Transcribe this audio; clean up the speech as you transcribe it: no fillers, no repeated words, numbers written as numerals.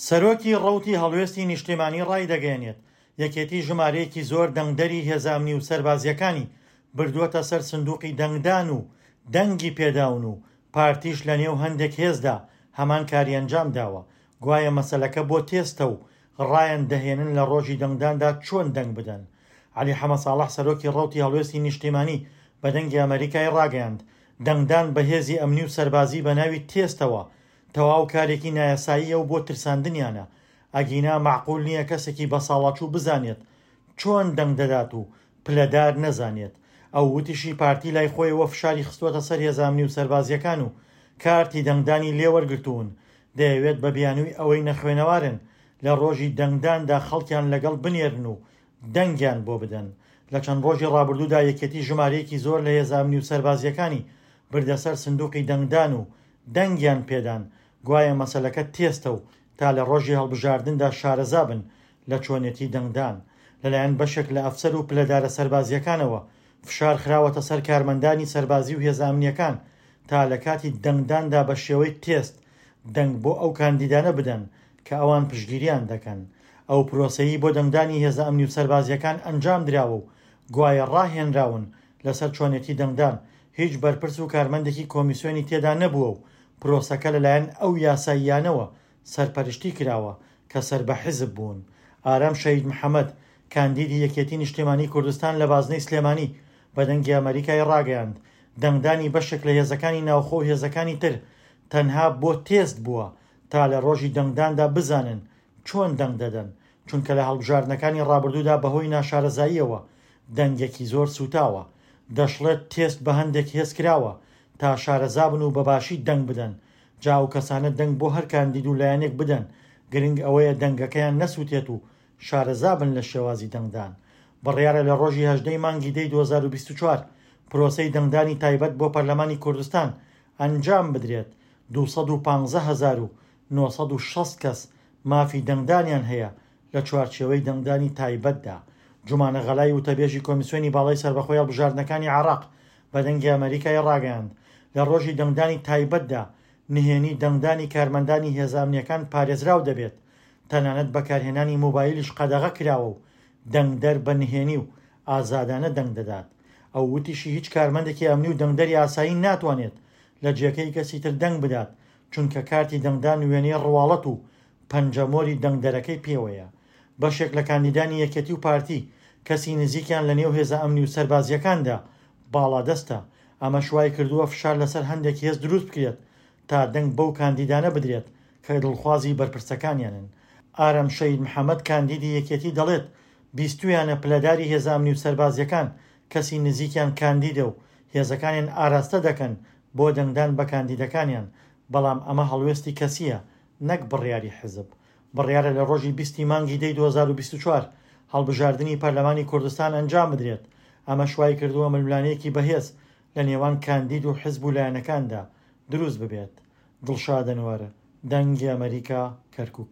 سەرۆکی ڕەوتی هەڵوێستی نیشتیمانی ڕایدەگەیەنێت، یەکێتی ژمارەیەکی زۆر دەنگدەری هێزە ئەمنی و سەربازییەکانی بردووەتە سەر سندوقی دەنگدان و دەنگی پێداون و پارتیش لەنێو هەندێک هێزدا هەمان کاری ئەنجامداوە، گوایە مەسەلەکە بۆ تێستە و ڕایان دەهێنن لە ڕۆژی دەنگداندا چۆن دەنگ بدەن. عەلی حەمەساڵح سەرۆکی ڕەوتی هەڵوێستی نیشتیمانی بە دەنگی ئەمەریکای ڕاگەیاند، دەنگدان بە هێزی ئەمنی و سەربازی بە ناوی تێستەوە تەواو کارێکی نایاساییە و بۆ ترساندنیانە، ئەگینا مەعقول نییە کەسێکی بەساڵاچوو بزانێت چۆن دەنگ دەدات و پلەدار نەزانێت. ئەو وتیشی پارتی لای خۆیەوە فشاری خستووەتە سەر هێزە ئەمنی و سەربازییەکان و کارتی دەنگدانی لێوەرگرتوون، دەیەوێت بە بیانووی ئەوەی نەخوێنەوارن لە ڕۆژی دەنگداندا خەڵکیان لەگەڵ بنێرن و دەنگیان بۆ بدەن. لە چەند ڕۆژی ڕابردوودا یەکێتی ژمارەیەکی زۆر لە هێزە ئەمنی و سەربازییەکانی بردە سەر سندوقی دەنگدان و دەنگیان پێدان، گوایە مەسەلەکە تێستە و تا لە ڕۆژی هەڵبژاردندا شارەزا بن لە چۆنێتی دەنگدان. لەلایەن بەشێک لە ئەفسەر و پلەدارە سەربازییەکانەوە فشار خراوەتە سەر کارمەندانی سەربازی و هێزە ئەمنییەکان تا لە کاتی دەنگداندا بە شێوەی تێست دەنگ بۆ ئەو کاندیدانە بدەن کە ئەوان پشتگیریان دەکەن. ئەو پرۆسەیەی بۆ دەنگدانی هێزە ئەمنی و سەربازییەکان ئەنجام دراوە و گوایە ڕاهێنراون لەسەر چۆنێتی دەنگدان، هیچ بەرپرس و کارمەندێکی کۆمیسیۆنی تێدا نەبووە و پرۆسەکە لەلایەن ئەو یاساییانەوە سەرپەرشتی کراوە کە سەر بە حیزب بوون. ئارام شەهید محەمەد، کاندیدی یەکێتی نیشتیمانی کوردستان لە بازنەی سلێمانی بە دەنگی ئەمەریکای ڕاگەیاند، دەنگدانی بەشێک لە هێزەکانی ناوخۆ و هێزەکانی تر تەنها بۆ تێست بووە تا لە ڕۆژی دەنگداندا بزانن چۆن دەنگ دەدەن، چونکە لە هەڵبژاردنەکانی ڕابردوودا بەهۆی ناشارەزاییەوە دەنگێکی زۆر سووتاوە. دەشڵێت تێست بە هەندێک هێز کراوە تا شارەزابن و بەباشی دەنگ بدەن، جا ئەو کەسانە دەنگ بۆ هەر کاندید و لایەنێک بدەن گرنگ ئەوەیە دەنگەکەیان نەسوتێت و شارەزابن لە شێوازی دەنگدان. بڕیارە لە ڕۆژی 18 ی مانگی دەی 2024 پرۆسەی دەنگدانی تایبەت بۆ پەرلەمانی کوردستان ئەنجام بدرێت، 215960 کەس مافی دەنگدانیان هەیە لە چوارچێوەی دەنگدانی تایبەتدا. جومانە غەلای وتەبێژی کۆمیسیۆنی باڵای سەربەخۆی هەڵبژاردنەکانی عێراق بە دەنگی ئەمەریکای ڕاگەیاند، لە ڕۆژی دەنگدانی تایبەتدا نهێنی دەنگدانی کارمەندانی هێزە ئەمنییەکان پارێزراو دەبێت، تەنانەت بەکارهێنانی مۆبایلیش قەدەغە کراوە و دەنگدەر بە نهێنی و ئازادانە دەنگ دەدات. ئەو وتیشی هیچ کارمەندێکی ئەمنی و دەنگدەری ئاسایی ناتوانێت لە جێگەی کەسی تر دەنگ بدات، چونکە کارتی دەنگدان وێنەی ڕواڵەت و پەنجەمۆری دەنگدەرەکەی پێوەیە. بەشێک لە کاندیدانی یەکێتی و پارتی کەسی نزیکیان لە نێو هێزە ئەمنی و سەربازییەکاندا باڵادەستە، ئەمەش وایکردووە فشار لەسەر هەندێک هێز دروست بکرێت تا دەنگ بەو کاندیدانە بدرێت کە دڵخوازی بەرپرسەکانیانن. ئارام شەهید محەمەد کاندیدی یەکێتی دەڵێت، بیستوویانە پلەداری هێزە ئەمنی و سەربازییەکان کەسی نزیکیان کاندیدە و هێزەکانیان ئاراستە دەکەن بۆ دەنگدان بە کاندیدەکانیان، بەڵام ئەمە هەڵوێستی کەسییە نەک بڕیاری حزب. بڕیارە لە ڕۆژی 20 ی مانگی دەی 2024 هەڵبژاردنی پەرلەمانی کوردستان ئەنجام بدرێت، ئەمەش وایکردووە ململانێیەکی بەهێز لە نێوان کاندید و حزب و لایەنەکاندا دروست ببێت. دڵشاد ئەنوەر، دەنگی ئەمەریکا، کەرکوک.